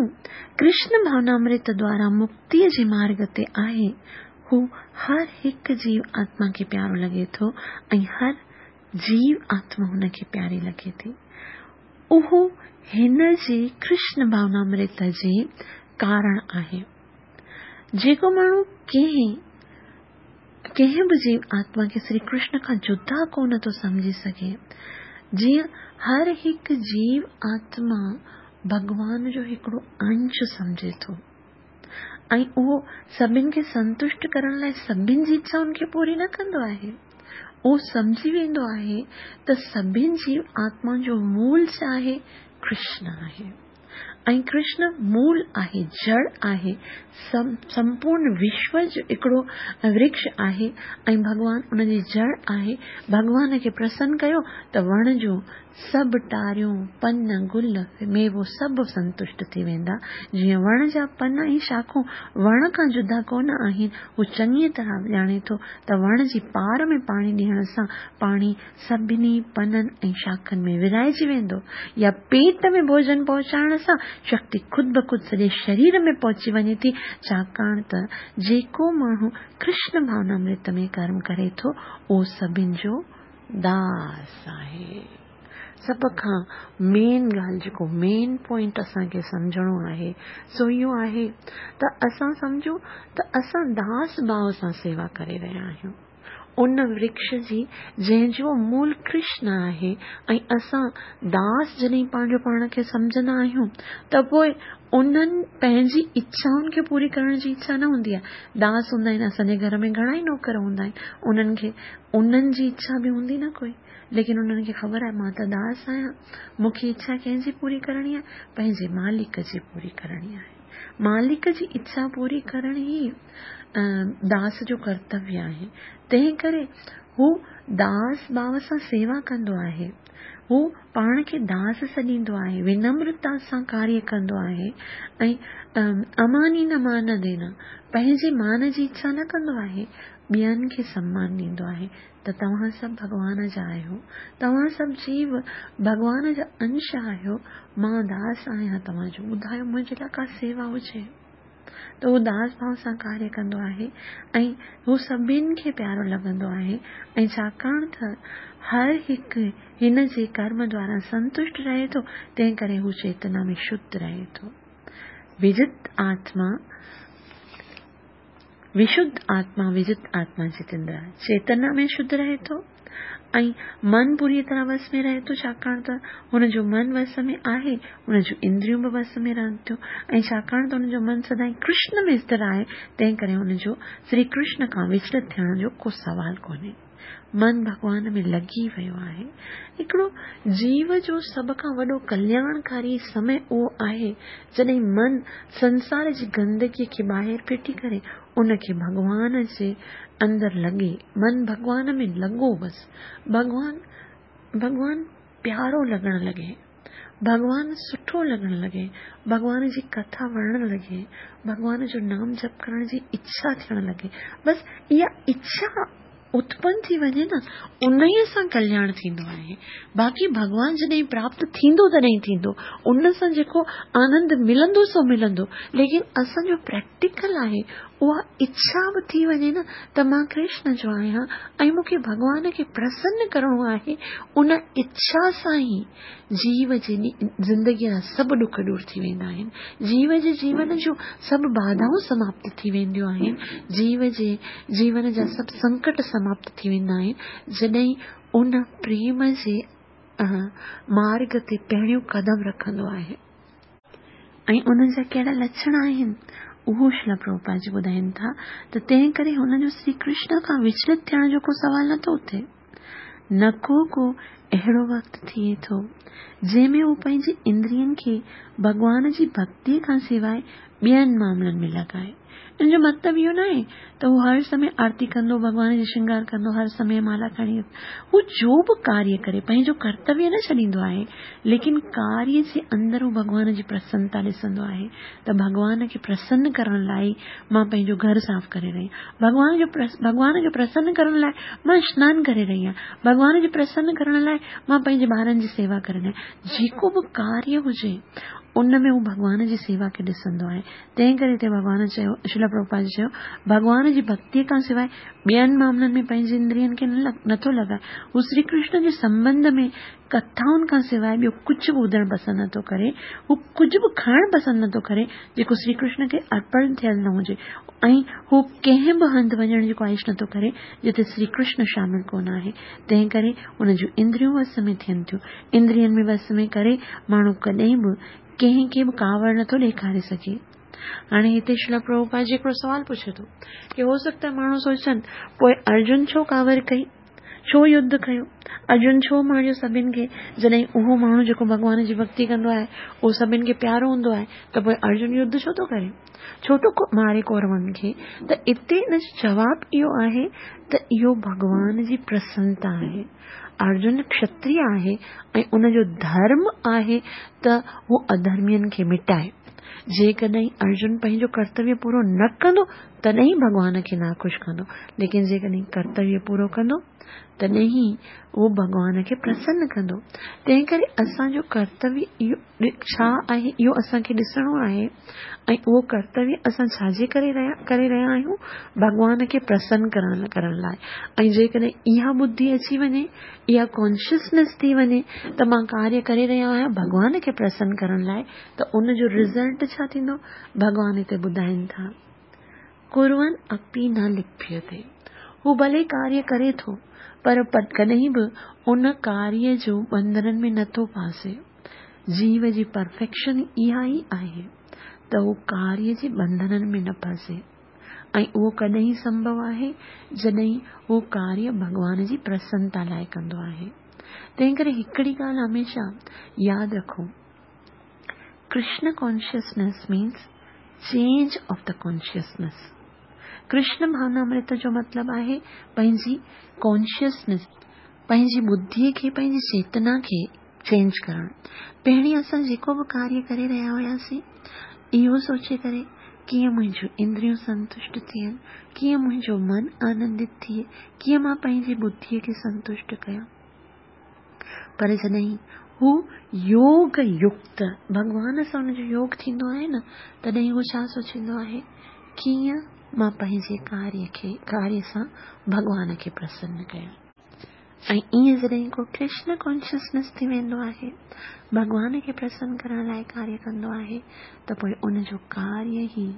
ڪرشن ڀاونامرت دوارا مڪتيء جي مارڳ تي آهي، هو هر هڪ جيو آتما کي پيارو لڳي ٿو ۽ هر جيو آتما هن کي پياري لڳي ٿي. اهو هن جي ڪرشن ڀاونامرت جي ڪارڻ آهي. جيڪو ماڻهو ڪنهن ڪنهن به جيو آتما کي شري ڪرشن کان جدا ڪونه ٿو سمجهي سگهي، جيئن هر هڪ جيو آتما ڀڳوان جو هڪڙو انش سمجهي ٿو ۽ اهو سڀن کي سنتشٽ ڪرڻ لاء سڀن جي اڇائن کي پوري نه ڪندو آهي. اهو سمجهي ويندو آهي ته سڀن جيو آتمائن جو مول ڇا آهي؟ ڪرشن آهي. ۽ ڪرشن مول آهي، جڙ آهي، سمپورن وشو جو هڪڙو ورڪش آهي ۽ ڀڳوان ان جي جڙ آهي. ڀڳوان کي پرسن ڪيو ته وڻ جون سڀ ٽاريون، پن، گل، ميوو سڀ سنتشٽ ٿي ويندا. جيئن وڻ جا پن ۽ شاخون وڻ کان جدا ڪونه آهن، هو چڱيء طرح ڄاڻي ٿو ته وڻ جي پاڙ ۾ پاڻي ڏيڻ سان پاڻي سڀني پنن ۽ شاخن ۾ ورهائجي ويندو يا پيٽ ۾ ڀوڄن پهچائڻ سان شڪتي خود بخود سڄي شرير ۾ پهچي وڃي ٿي، ڇاڪاڻ ته جيڪو ماڻهو ڪرشن ڀاونامرت ۾ ڪرم ڪري ٿو، اهو سڀن جو داس آهي. سڀ کان مين ڳالهه جيڪو مين پوائنٽ اسان کي سمجهڻو آهي سو اهو آهي ته اسان سمجهون ته اسان داس ڀاو سان سيوا ڪري رهيا آهيون. ان ورڪش جي جنهن جو مول ڪرشن آهي ۽ اسان داس جڏهن پنهنجو پاڻ کي سمجهندا آهيون ته پوء انهن پنهنجي اڇائن کي پوري ڪرڻ جي اڇا نه هوندي آهي. داس هوندا آهن اسان جي گهر ۾ گهڻا ئي نوڪر هوندا آهن انهن کي انهن جي اڇا به هوندي نه ڪوئي ليڪن انهن کي خبر آهي مان ته داس آهيان مون کي اڇا ڪنهن جي پوري ڪرڻي آهي پنهنجي مالڪ جي پوري ڪرڻي آهي. مالڪ جي اڇا پوري ڪرڻ ئي داس جو ڪرتويه آهي، تنهن ڪري هو داس ڀاو سان سيوا ڪندو آهي. هو پاڻ کي داس سڏيندو آهي، ونمرتا سان ڪاريه ڪندو آهي ۽ اماني نه مان دينا، پنهنجي مان جي اڇا نه ڪندو آهي، ٻين کي سمان ڏيندو آهي ته توهان سڀ ڀڳوان جا آهيو، توهان سڀ جيو ڀڳوان جا انش آهيو، مان داس آهيان توهان جو، ٻڌايو منهنجي لاء ڪا سيوا هجي ته هو داس ڀاو سان ڪاريه ڪندو آهي ۽ هو سڀن کي پيارو لڳندو آهي ۽ ڇاڪاڻ ته هر هڪ هن جي ڪرم دوارا سنتشٽ رهي ٿو، تنهن ڪري هو چيتنا ۾ شڌ رهي ٿو. وجت آتما. وشڌ آتما وجت آتما جتيندر چيتنا ۾ شڌ رهي ٿو ۽ من پوريء طرح وس ۾ رهي ٿو ڇاڪاڻ ته هن جو من وس ۾ آهي هن جون اندريون به وس ۾ رهن ٿيون ۽ ڇاڪاڻ ته هن جو من سدائين ڪرشن ۾ اسٿر آهي تنهن ڪري هن جو شري ڪرشن کان وچلت ٿيڻ جو ڪو سوال ڪونهي. من ڀڳوان ۾ لڳي ويو آهي. هڪڙو جيو جو سڀ کان وڏو ڪلياڻڪاري سمي اهو آهي جڏهن من سنسار جي گندگيء کي ٻاهر ڦٽي ڪري ان کي ڀڳوان جي اندر لڳي، من ڀڳوان ۾ لڳو بس ڀڳوان ڀڳوان پيارو لڳڻ لڳي. ڀڳوان سٺو لڳڻ لڳي، ڀڳوان جي ڪٿا وڻڻ لڳي، ڀڳوان جو نام جپ ڪرڻ جي اڇا ٿيڻ لڳي، بس اها اڇا اتپن ٿي وڃي نه انهيء سان ڪلياڻ ٿيندو آهي، باقي ڀڳوان جڏهن پراپت ٿيندو تڏهن ٿيندو، ان سان جيڪو آنند ملندو سو ملندو، ليڪن اسان جو پريڪٽيڪل آهي اها اڇا به ٿي وڃي نه ته مان ڪرشن جو آهيان ۽ مون کي ڀڳوان کي پرسن ڪرڻو آهي، ان اڇا سان ئي جيو جي زندگيء جا سڀ ڏک ڏور ٿي ويندا آهن، جيو جي جيون جون سڀ باڌائون سماپت ٿي وينديون آهن، جيو جي جيون جا سڀ سنڪٽ سماپت ٿي ويندا آهن، جڏهن ان پريم جي مارڳ تي پهريون قدم رکندو آهي. ۽ انهن جا ڪهڙا لڇڻ آهن، اهو شريلا پرڀوپاد جي ٻڌائين ٿا ته تنهن ڪري هن جو شري ڪرشن کان وچلت ٿيڻ جو ڪو سوال نه ٿو اٿي. نه ڪو ڪو اهڙو وقت ٿئي ٿو، جنهن ۾ هو پنهنجي اندرين کي ڀڳوان جي ڀڳتيء کان سواء ٻين معاملن ۾ لڳائي. ان جو مطلب اهو ناهي ته هو هر سمي آرتي ڪندو، ڀڳوان جي شنگار ڪندو، هر سمي مالا کڻي هو جو به ڪاريه ڪري پنهنجو ڪرتويه نه ڇڏيندو آهي، ليڪن ڪاريه جي اندر هو ڀڳوان جي پرسنتا ڏسندو آهي ته ڀڳوان کي پرسن ڪرڻ لاء ئي مان پنهنجو گهر صاف ڪري رهي آهيان، ڀڳوان جو ڀڳوان کي پرسن ڪرڻ لاء مان اشنان ڪري رهي آهيان، ڀڳوان کي پرسن ڪرڻ لاء مان پنهنجي ٻارن جي سيوا ڪري رهي آهيان، جيڪو به ڪاريه هجي. ان ۾ هو ڀڳوان جي سيوا کي ڏسندو آهي. تنهن ڪري هتي ڀڳوان چيو، شريل پرڀوپاد چيو، ڀڳوان جي ڀڳتيء کان سواء ٻين معاملن ۾ پنهنجي اندرين کي نٿو لڳائي. هو شري ڪرشن جي سنٻنڌ ۾ ڪٿائن کان سواء ٻيو ڪجهه به ٻڌڻ پسند نٿو ڪري. هو ڪجهه به کائڻ پسند نٿو ڪري، جيڪو شري ڪرشن کي ارپڻ ٿيل نه هجي ۽ هو ڪنهن به هنڌ وڃڻ جي خواهش نٿو ڪري، جتي شري ڪرشن شامل ڪونه آهي. تنهن ڪري هن جون اندريون وس ۾ ٿين ٿيون. اندرين ۾ وس ۾ ڪري ماڻهو ڪڏهن به ڪنهن کي به ڪاوڙ نٿو ڏيکاري سگهي. هاڻي هتي شريل پرڀوپاد جي هڪڙو سوال پڇي ٿو ڪي هو سگهي ته ماڻهو سوچن پوء ارجن ڇو ڪاوڙ ڪئي؟ ڇو يڌ ڪيو؟ ارجن ڇو ماريو سڀن کي؟ جڏهن اهو ماڻهو جيڪو ڀڳوان جي ڀڳتي ڪندو آهي اهو سڀن کي پيارو هوندو آهي ته پوء ارجن يڌ ڇو ٿو ڪري؟ ڇو ٿو ماري ڪورون کي؟ ته اتي ان جو جواب اهو آهي ته اهو ڀڳوان جي پرسنتا آهي. ارجن کشتري آهي ۽ ان جو ڌرم آهي ته هو اڌرمين کي مٽائي. جيڪڏهن ارجن پنهنجو ڪرتويه پورو نه ڪندو تڏهن ڀڳوان کي ناخوش ڪندو، ليڪن جيڪڏهن ڪرتويه پورو ڪندو تڏهن ئي اهو ڀڳوان کي پرسن ڪندو. تنهن ڪري اسان جو ڪرتويه اهو ڇا آهي اهو اسان کي ڏسڻو آهي ۽ اهو ڪرتويه اسان ڇا جي ڪري ڪري رهيا آهيون؟ ڀڳوان کي پرسن ڪرڻ لاء. ۽ جيڪڏهن اها ٻڌي اچي وڃي، اها ڪانشسنيس ٿي وڃي ته مان ڪاريه ڪري رهيو آهيان ڀڳوان کي پرسن ڪرڻ لاء ته ان جو رزلٽ ڇا ٿيندو؟ ڀڳوان هتي ٻڌائين ٿا. ڪرون اپي نه لپيتي. هو ڀلي ڪاريه ڪري ٿو پر ڪڏهن به ان ڪاريه جو ٻنڌنن ۾ نه ٿو ڦاسي. جيو جي پرفيڪشن اها ئي آهي ته هو ڪاريه جي ٻنڌنن ۾ نه ڦاسي ۽ اهو ڪڏهن سنڀو آهي جڏهن هو ڪاريه ڀڳوان جي پرسنتا لاء ڪندو آهي. تنهن ڪري هڪڙي ڳالهه هميشه ياد رکو Krishna consciousness means change of the consciousness. Krishna Bhavnamrita جو مطلب آهي پنهنجي ڪانشسنيس، پنهنجي ٻڌيء کي، پنهنجي چيتنا کي چينج ڪرڻ. پهرين اسان جيڪو به ڪاريه ڪري رهيا هياسين، اهو سوچي ڪري ڪيئن منهنجون اندريون سنتشٽ ٿين، ڪيئن منهنجو من آنندت ٿئي، ڪيئن مان پنهنجي ٻڌيء کي سنتشٽ ڪيان. پر جڏهن هو يوگ يڪت ڀڳوان سان ان جو يوگ ٿيندو آهي نه، تڏهن هو ڇا سوچيندو آهي، ڪيئن مان پنهنجي ڪاريه کي، ڪاريه سان ڀڳوان کي پرسن ڪيان. ۽ ائين جڏهن ڪو ڪرشن ڪانشسنيس ٿي ويندو آهي، ڀڳوان کي پرسن ڪرڻ لاء ڪاريه ڪندو آهي ته پوء ان جو ڪاريه ئي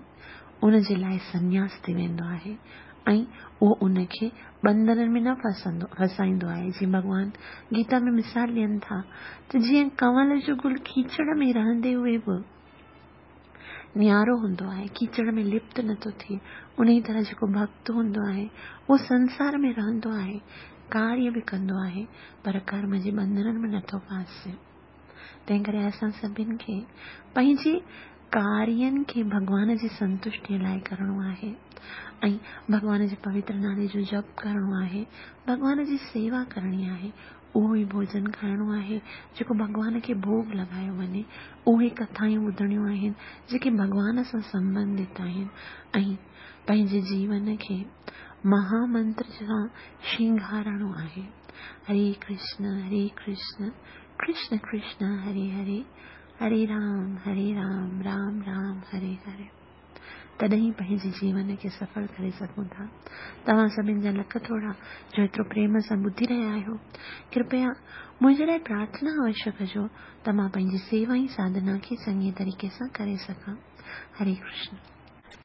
ان جي لاء سنياس ٿي ويندو آهي ۽ اهو ان کي ٻنڌنن ۾ نه ڦاسندو ڦاسائيندو آهي جيئن ڀڳوان گيتا ۾ مثال ڏين ٿا ته جيئن ڪنول جو گل کيچڙ ۾ رهندي هوئي به نيارو هوندو آهي، ڪيچڙ ۾ لپت نه ٿو ٿئي، انهيء طرح جيڪو ڀڳت هوندو آهي، اهو سنسار ۾ رهندو آهي، ڪاريه به ڪندو آهي، پر ڪرم جي ٻنڌنن ۾ نه ٿو ڦاسي. تنهنڪري اسان سڀن کي پنهنجي ڪارين کي ڀڳوان جي سنتشٽيء لاء ڪرڻو آهي ۽ ڀڳوان جي پوتر نالي جو جپ ڪرڻو آهي، ڀڳوان جي سيوا ڪرڻي آهي، اهو ئي ڀوڄن کائڻو آهي، جيڪو ڀڳوان کي ڀوڳ لڳايو وڃي، اهي ڪٿائون ٻڌڻيون آهن، جيڪي ڀڳوان سان سنٻنڌت آهن ۽ پنهنجي جيون کي مها منتر سان شينگارڻو آهي. هري ڪرشن هري ڪرشن ڪرشن ڪرشن هري هري، هري رام هري رام رام رام هري هري. تڏهن ئي پنهنجي جيون کي سڦل ڪري سگهون ٿا. توهان سڀن جا لک ٿورا جو ايترو پريم سان ٻڌي رهيا آهيو. ڪرپيا منهنجي لاء پرارٿنا اوشيه ڪجو ته مان پنهنجي سيوا ۽ ساڌنا کي چڱي طريقي سان ڪري سگهان. هري ڪرشن.